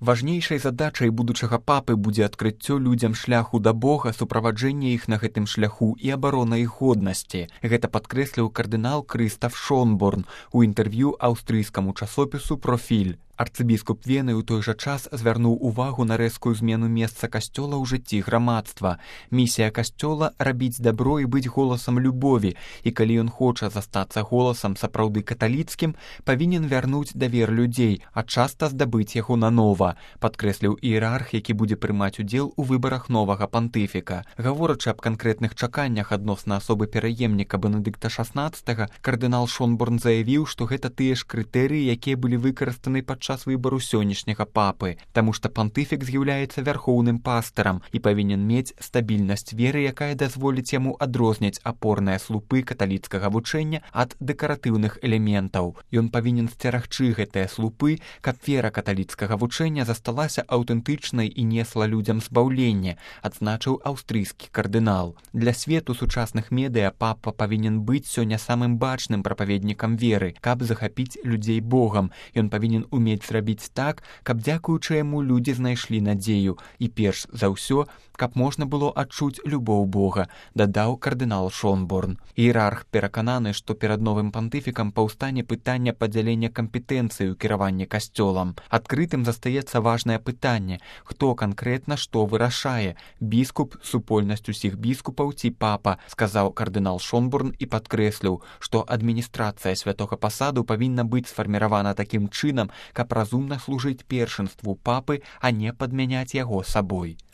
Важнейшай задачай будучага папы будзе адкрыццё людзям шляху да Бога, суправаджэнне іх на гэтым шляху і абарона іх годнасці. Гэта падкрэсліў кардынал Крыстаф Шонборн у інтэрв'ю аўстрыйскаму часопісу «Профіль». Арцыбіскуп Вены ў той жа час звярнуў увагу на рэзкую змену месца касцёла ў жыцці грамадства. Місія касцёла — рабіць дабро і быць голасам любові, і калі ён хоча застацца голасам сапраўды каталіцкім, павінен вярнуць давер людзей, а часта здабыць яго нанова, падкрэсліў іерарх, які будзе прымаць удзел у выбарах новага пантыфіка. Гаворачы аб канкрэтных чаканнях адносна асобы пераемніка Бенедыкта XVI, кардынал Шонборн заявіў, што гэта тыя ж крытэрыі, якія былі выкарыстаны падчас выбару сённяшняга папы, таму што пантыфік з'яўляецца вярхоўным пастырам і павінен мець стабільнасць веры, якая дазволіць яму адрозніць апорныя слупы каталіцкага вучэння ад дэкаратыўных элементаў. Ён павінен сцерагчы гэтыя слупы, каб вера каталіцкага вучэння засталася аўтэнтычнай і несла людзям збаўленне, адзначыў аўстрыйскі кардынал. Для свету сучасных медыа папа павінен быць сёння самым бачным прапаведнікам веры, каб захапіць людзей Богам. Ён павінен умець зрабіць так, каб дзякуючы яму людзі знайшлі надзею і перш за ўсё, каб можна было адчуць любоў Бога, дадаў кардынал Шонборн. Іерарх перакананы, што перад новым пантыфікам паўстане пытанне падзялення кампетэнцыі ў кіраванні касцёлам. Адкрытым застаецца важнае пытанне, хто канкрэтна што вырашае, біскуп, супольнасць усіх біскупаў ці папа, сказаў кардынал Шонборн і падкрэсліў, што адміністрацыя святога пасаду павінна быць сфарміравана такім чынам, каб разумна служыць першынству папы, а не падмяняць яго сабой.